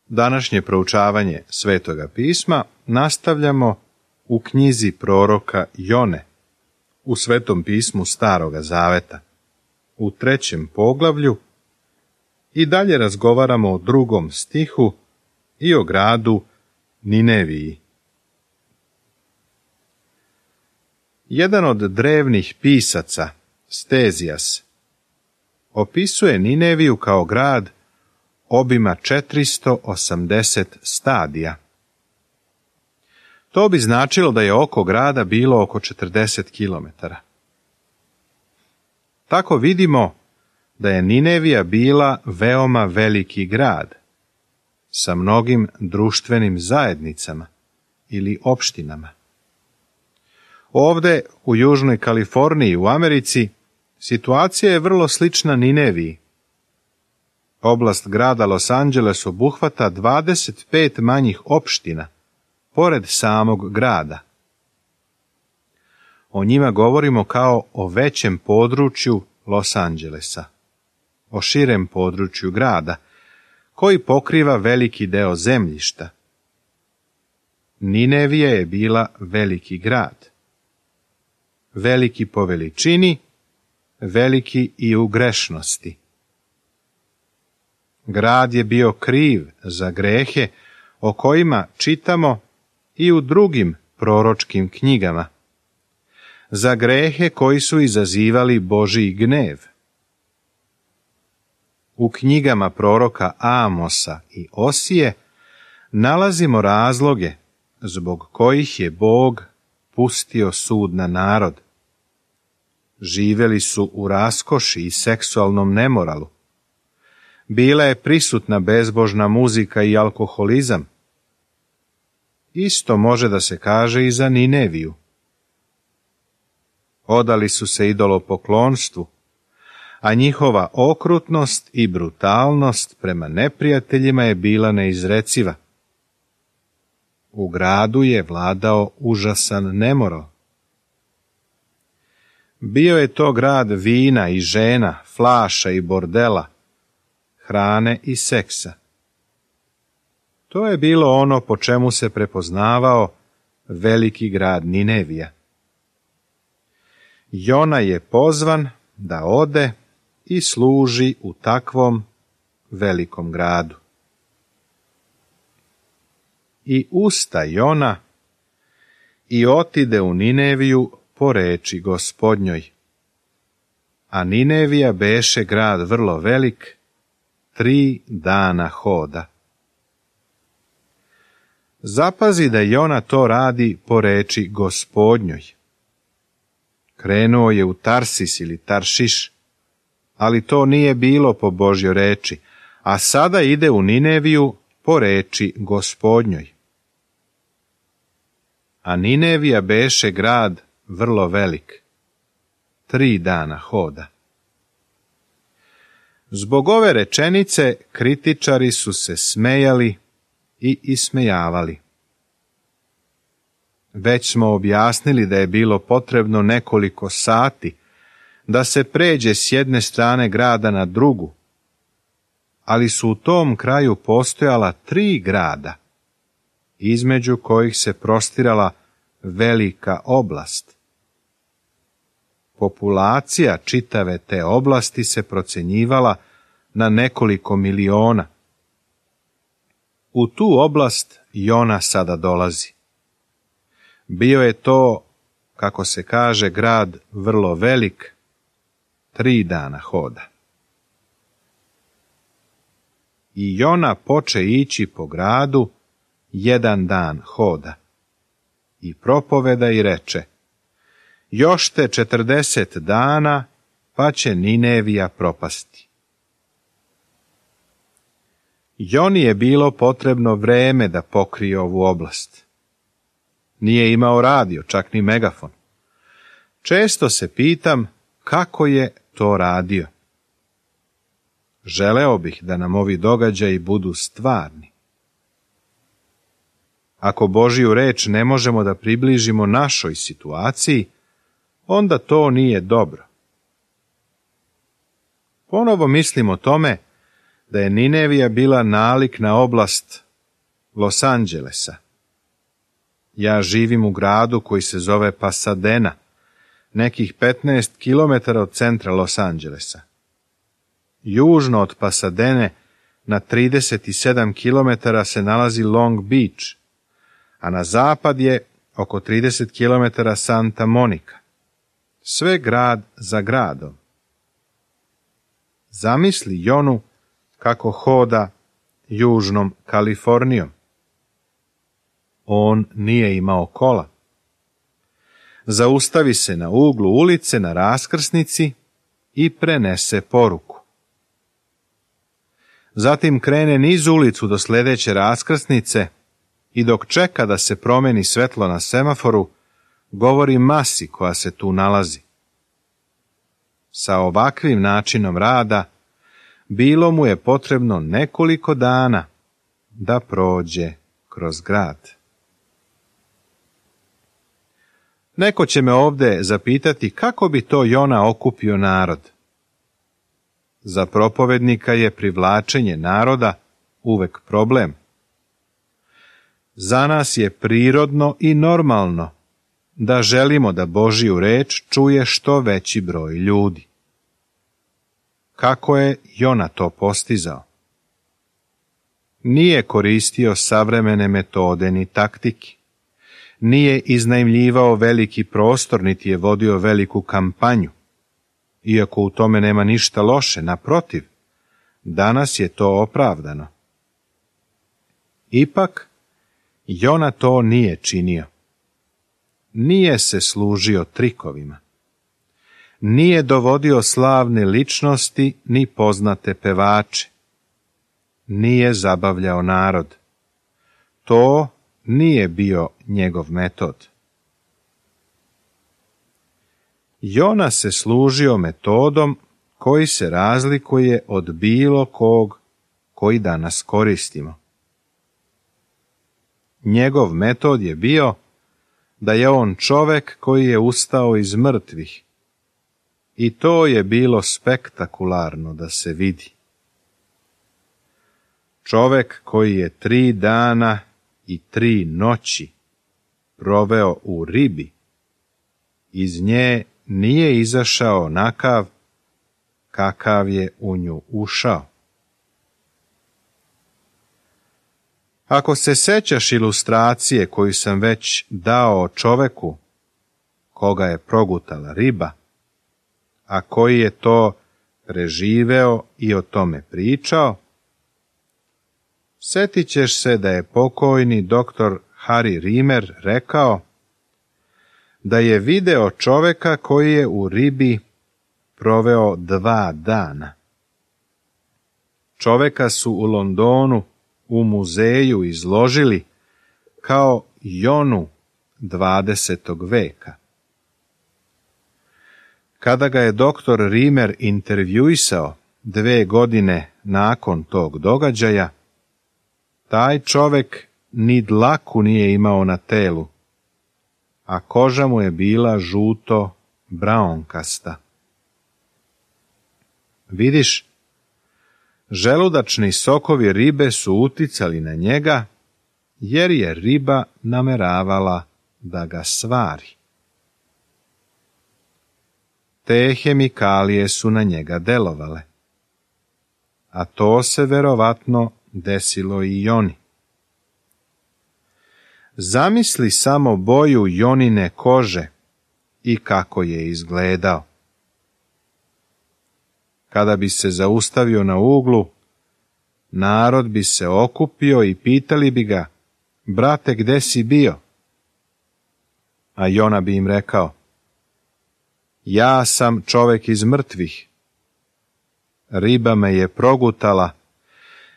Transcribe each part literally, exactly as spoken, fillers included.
Današnje proučavanje Svetoga pisma nastavljamo u knjizi proroka Jone, u Svetom pismu Staroga Zaveta, u trećem poglavlju, i dalje razgovaramo o drugom stihu i o gradu Nineviji. Jedan od drevnih pisaca, Stezijas, opisuje Nineviju kao grad obima četiristo osamdeset stadija. To bi značilo da je oko grada bilo oko četrdeset kilometara. Tako vidimo da je Ninevija bila veoma veliki grad, sa mnogim društvenim zajednicama ili opštinama. Ovde, u Južnoj Kaliforniji u Americi, situacija je vrlo slična Nineviji. Oblast grada Los Angeles obuhvata dvadeset pet manjih opština, pored samog grada. O njima govorimo kao o većem području Los Angelesa, o širem području grada, koji pokriva veliki deo zemljišta. Ninevija je bila veliki grad. Veliki po veličini, veliki i u grešnosti. Grad je bio kriv za grehe o kojima čitamo i u drugim proročkim knjigama, za grehe koji su izazivali Božji gnev. U knjigama proroka Amosa i Osije nalazimo razloge zbog kojih je Bog pustio sud na narod. Živeli su u raskoši i seksualnom nemoralu. Bila je prisutna bezbožna muzika i alkoholizam. Isto može da se kaže i za Nineviju. Odali su se idolopoklonstvu, a njihova okrutnost i brutalnost prema neprijateljima je bila neizreciva. U gradu je vladao užasan nemoral. Bio je to grad vina i žena, flaša i bordela, hrane i seksa. To je bilo ono po čemu se prepoznavao veliki grad Ninevija. Jona je pozvan da ode i služi u takvom velikom gradu. I usta Jona i otide u Nineviju po reči Gospodnjoj. A Ninevija beše grad vrlo velik, tri dana hoda. Zapazi da Jona to radi po reči Gospodnjoj. Krenuo je u Tarsis ili Taršiš, ali to nije bilo po Božjoj reči, a sada ide u Nineviju po reči Gospodnjoj. A Ninevija beše grad vrlo velik, tri dana hoda. Zbog ove rečenice kritičari su se smejali i ismejavali. Već smo objasnili da je bilo potrebno nekoliko sati da se pređe s jedne strane grada na drugu, ali su u tom kraju postojala tri grada, između kojih se prostirala velika oblast. Populacija čitave te oblasti se procenjivala na nekoliko miliona. U tu oblast Jona sada dolazi. Bio je to, kako se kaže, grad vrlo velik, tri dana hoda. I Jona poče ići po gradu jedan dan hoda. I propoveda i reče: još te četrdeset dana, pa će Ninevija propasti. Joni je bilo potrebno vreme da pokrije ovu oblast. Nije imao radio, čak ni megafon. Često se pitam kako je to radio. Želeo bih da nam ovi događaji budu stvarni. Ako Božju reč ne možemo da približimo našoj situaciji, onda to nije dobro. Ponovo mislim o tome da je Ninevija bila nalik na oblast Los Angelesa. Ja živim u gradu koji se zove Pasadena, nekih petnaest kilometara od centra Los Angelesa. Južno od Pasadene na trideset sedam kilometara se nalazi Long Beach, a na zapad je oko trideset kilometara Santa Monica. Sve grad za gradom. Zamisli Jonu kako hoda južnom Kalifornijom. On nije imao kola. Zaustavi se na uglu ulice na raskrsnici i prenese poruku. Zatim krene niz ulicu do sljedeće raskrsnice i dok čeka da se promeni svetlo na semaforu, govori masi koja se tu nalazi. Sa ovakvim načinom rada bilo mu je potrebno nekoliko dana da prođe kroz grad. Neko će me ovdje zapitati kako bi to Jona okupio narod. Za propovednika je privlačenje naroda uvek problem. Za nas je prirodno i normalno da želimo da Božju reč čuje što veći broj ljudi. Kako je Jona to postizao? Nije koristio savremene metode ni taktike. Nije iznajmljivao veliki prostor, niti je vodio veliku kampanju. Iako u tome nema ništa loše, naprotiv, danas je to opravdano. Ipak, Jona to nije činio. Nije se služio trikovima. Nije dovodio slavne ličnosti ni poznate pevače. Nije zabavljao narod. To nije bio njegov metod. Jona se služio metodom koji se razlikuje od bilo kog koji danas koristimo. Njegov metod je bio da je on čovek koji je ustao iz mrtvih. I to je bilo spektakularno da se vidi. Čovek koji je tri dana i tri noći proveo u ribi, iz nje nije izašao onakav kakav je u nju ušao. Ako se sećaš ilustracije koju sam već dao čoveku koga je progutala riba, a koji je to preživeo i o tome pričao, setit ćeš se da je pokojni doktor Harry Rimer rekao da je video čoveka koji je u ribi proveo dva dana. Čoveka su u Londonu u muzeju izložili kao Jonu dvadesetog veka. Kada ga je doktor Rimer intervjuisao dve godine nakon tog događaja, taj čovek ni dlaku nije imao na telu, a koža mu je bila žuto braunkasta. Vidiš, želudačni sokovi ribe su uticali na njega, jer je riba nameravala da ga svari. Te hemikalije su na njega delovale, a to se verovatno desilo i Joni. Zamisli samo boju Jonine kože i kako je izgledao. Kada bi se zaustavio na uglu, narod bi se okupio i pitali bi ga: brate, gde si bio? A Jona bi im rekao: ja sam čovek iz mrtvih. Riba me je progutala,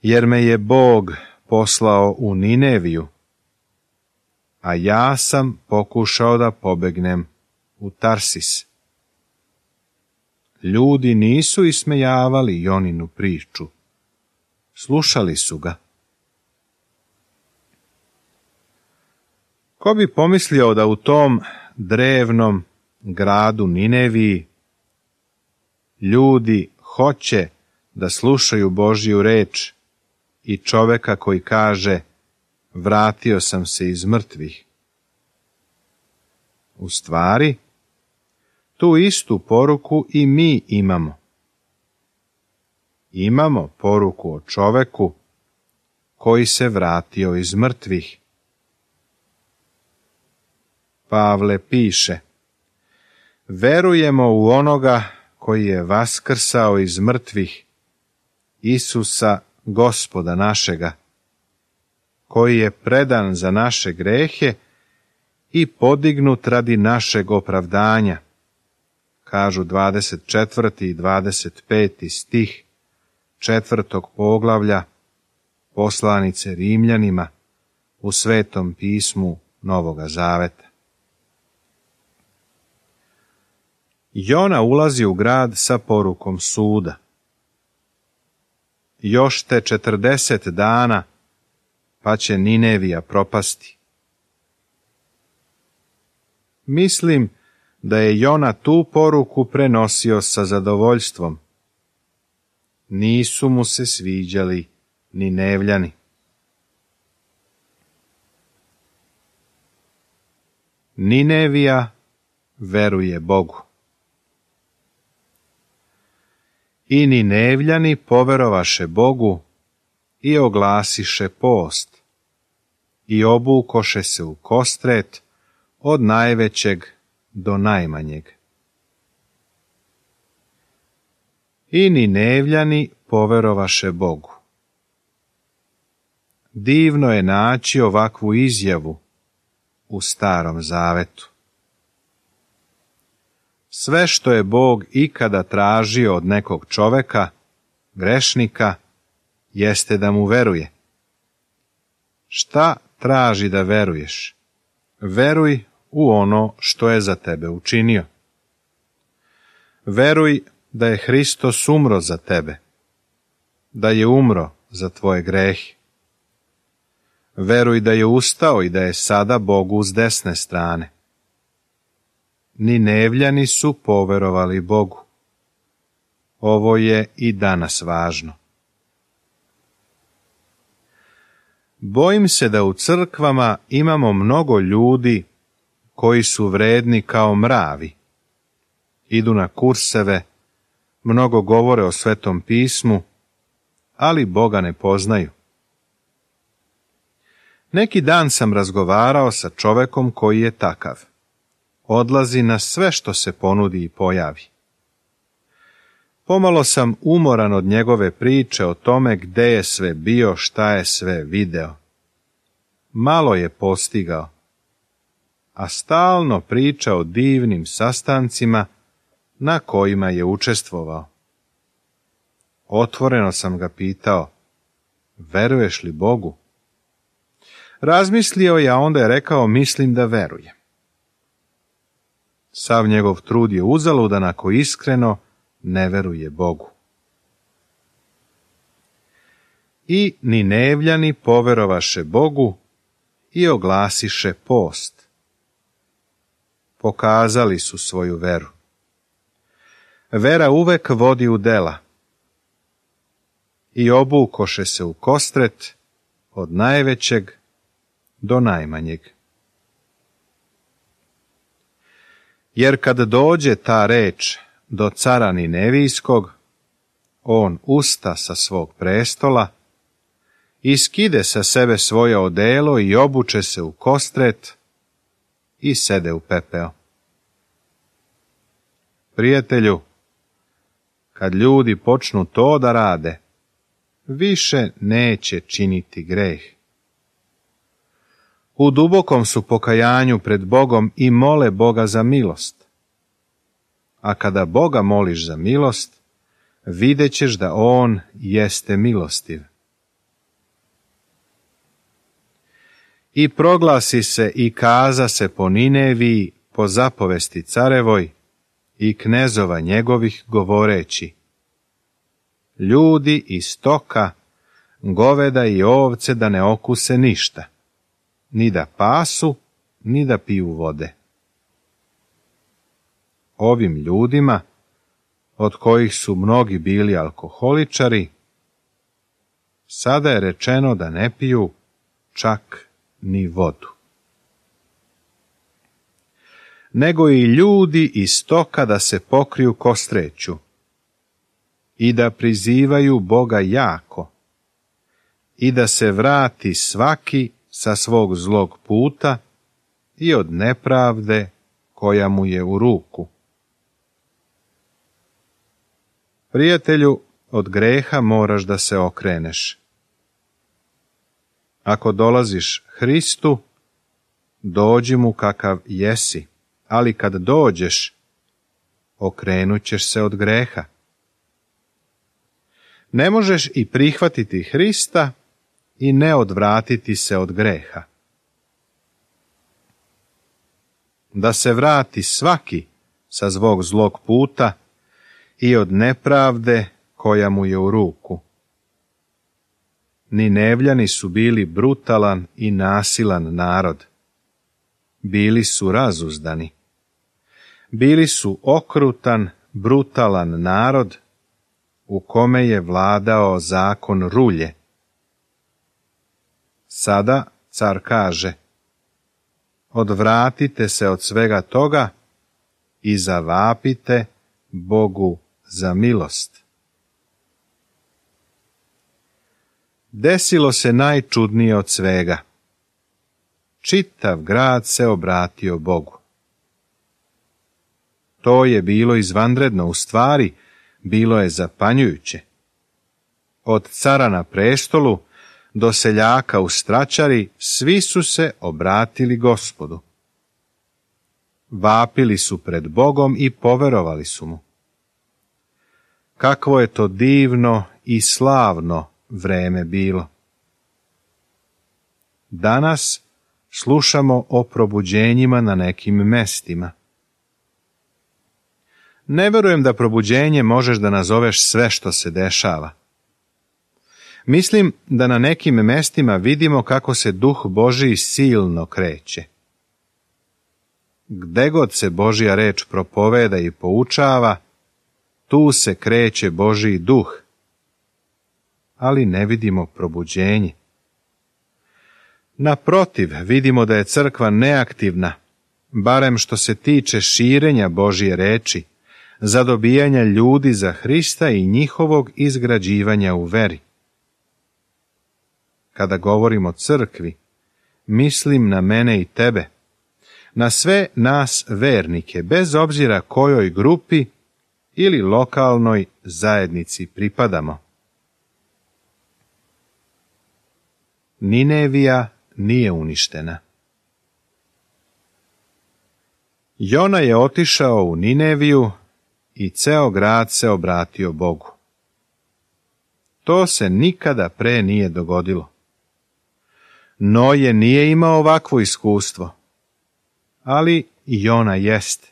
jer me je Bog poslao u Nineviju, a ja sam pokušao da pobegnem u Tarsis. Ljudi nisu ismejavali Joninu priču. Slušali su ga. Ko bi pomislio da u tom drevnom gradu Nineviji ljudi hoće da slušaju Božju reč i čoveka koji kaže vratio sam se iz mrtvih. U stvari, tu istu poruku i mi imamo. Imamo poruku o čoveku koji se vratio iz mrtvih. Pavle piše: verujemo u onoga koji je vaskrsao iz mrtvih, Isusa, Gospoda našega, koji je predan za naše grehe i podignut radi našeg opravdanja, kažu dvadeset četvrti i dvadeset peti stih četvrtog poglavlja poslanice Rimljanima u Svetom pismu Novoga Zaveta. Jona ulazi u grad sa porukom suda. Još te četrdeset dana, pa će Ninevija propasti. Mislim da je Jona tu poruku prenosio sa zadovoljstvom. Nisu mu se sviđali Ninevljani. Ninevija veruje Bogu. I Ninevljani poverovaše Bogu i oglasiše post i obukoše se u kostret od najvećeg do najmanjeg. I Ninevljani poverovaše Bogu. Divno je naći ovakvu izjavu u Starom Zavetu. Sve što je Bog ikada tražio od nekog čoveka, grešnika, jeste da mu veruje. Šta traži da veruješ? Veruj u ono što je za tebe učinio. Veruj da je Hristos umro za tebe, da je umro za tvoje grehe. Veruj da je ustao i da je sada Bogu s desne strane. Ninevljani su poverovali Bogu. Ovo je i danas važno. Bojim se da u crkvama imamo mnogo ljudi koji su vredni kao mravi. Idu na kurseve, mnogo govore o Svetom pismu, ali Boga ne poznaju. Neki dan sam razgovarao sa čovekom koji je takav. Odlazi na sve što se ponudi i pojavi. Pomalo sam umoran od njegove priče o tome gde je sve bio, šta je sve video. Malo je postigao, a stalno priča o divnim sastancima na kojima je učestvovao. Otvoreno sam ga pitao, veruješ li Bogu? Razmislio je, a onda je rekao, mislim da verujem. Sav njegov trud je uzaludan ako iskreno ne veruje Bogu. I Ninevljani poverovaše Bogu i oglasiše post. Pokazali su svoju veru. Vera uvek vodi u dela. I obukoše se u kostret od najvećeg do najmanjeg. Jer kad dođe ta reč do cara Ninevijskog, on usta sa svog prestola, iskide sa sebe svoje odelo i obuče se u kostret i sede u pepeo. Prijatelju, kad ljudi počnu to da rade, više neće činiti greh. U dubokom su pokajanju pred Bogom i mole Boga za milost. A kada Boga moliš za milost, vidjet ćeš da On jeste milostiv. I proglasi se i kaza se po Nineviji po zapovesti carevoj i knezova njegovih govoreći: ljudi i stoka, goveda i ovce da ne okuse ništa, ni da pasu, ni da piju vode. Ovim ljudima od kojih su mnogi bili alkoholičari, sada je rečeno da ne piju čak ni vodu. Nego i ljudi i stoka da se pokriju kostreću i da prizivaju Boga jako i da se vrati svaki sa svog zlog puta i od nepravde koja mu je u ruku. Prijatelju, od greha moraš da se okreneš. Ako dolaziš Hristu, dođi mu kakav jesi, ali kad dođeš, okrenut ćeš se od greha. Ne možeš i prihvatiti Hrista i ne odvratiti se od greha. Da se vrati svaki sa svog zlog puta i od nepravde koja mu je u ruku. Ninevljani su bili brutalan i nasilan narod. Bili su razuzdani. Bili su okrutan, brutalan narod u kome je vladao zakon rulje. Sada car kaže: odvratite se od svega toga i zavapite Bogu za milost. Desilo se najčudnije od svega. Čitav grad se obratio Bogu. To je bilo izvanredno, u stvari bilo je zapanjujuće. Od cara na prestolu do seljaka u stračari svi su se obratili Gospodu. Vapili su pred Bogom i poverovali su mu. Kakvo je to divno i slavno vreme bilo. Danas slušamo o probuđenjima na nekim mestima. Ne verujem da probuđenje možeš da nazoveš sve što se dešava. Mislim da na nekim mestima vidimo kako se Duh Božiji silno kreće. Gde god se Božja reč propoveda i poučava, tu se kreće Božji Duh. Ali ne vidimo probuđenje. Naprotiv, vidimo da je crkva neaktivna, barem što se tiče širenja Božje reči, zadobijanja ljudi za Hrista i njihovog izgrađivanja u veri. Kada govorim o crkvi, mislim na mene i tebe, na sve nas vernike, bez obzira kojoj grupi ili lokalnoj zajednici pripadamo. Ninevija nije uništena. Jona je otišao u Nineviju i ceo grad se obratio Bogu. To se nikada pre nije dogodilo. Noje nije imao ovakvo iskustvo, ali Jona jeste.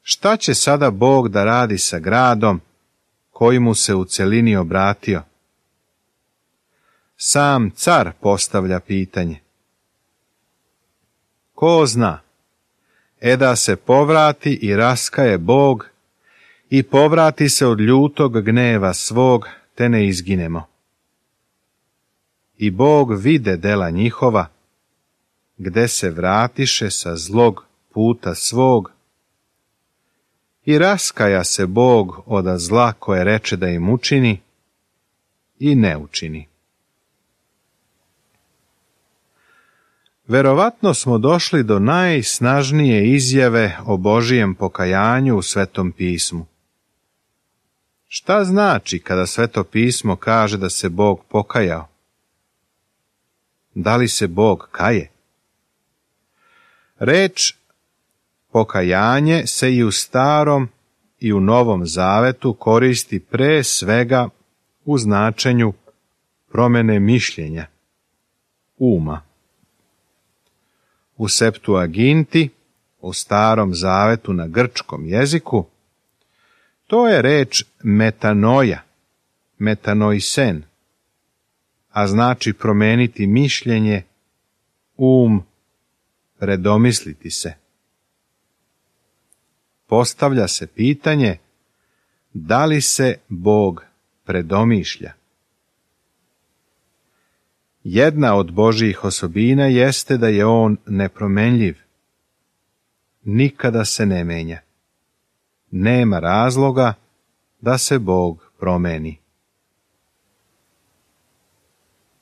Šta će sada Bog da radi sa gradom koji mu se u celini obratio? Sam car postavlja pitanje. Ko zna, e da se povrati i raskaje Bog i povrati se od ljutog gneva svog, te ne izginemo. I Bog vide dela njihova, gde se vratiše sa zlog puta svog, i raskaja se Bog oda zla koje reče da im učini i ne učini. Verovatno smo došli do najsnažnije izjave o Božijem pokajanju u Svetom pismu. Šta znači kada Sveto pismo kaže da se Bog pokajao? Da li se Bog kaje? Reč pokajanje se i u Starom i u Novom Zavetu koristi pre svega u značenju promene mišljenja, uma. U Septuaginti, u Starom Zavetu na grčkom jeziku, to je reč metanoja, metanoisen, a znači promeniti mišljenje, um, predomisliti se. Postavlja se pitanje Da li se Bog predomišlja? Jedna od Božjih osobina jeste da je on nepromenljiv. Nikada se ne menja. Nema razloga da se Bog promeni.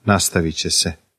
Nastavit će se.